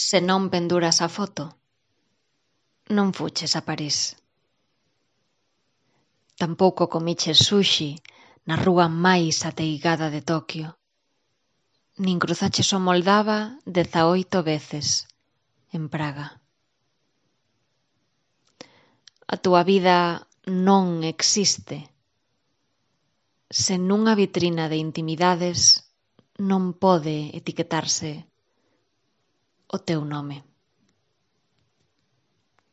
Se non penduras a foto, non fuches a París. Tampouco comiches sushi na rúa máis ateigada de Toquio, nin cruzaches o Moldava 18 veces en Praga. A túa vida non existe se nunha vitrina de intimidades non pode etiquetarse o teu nome.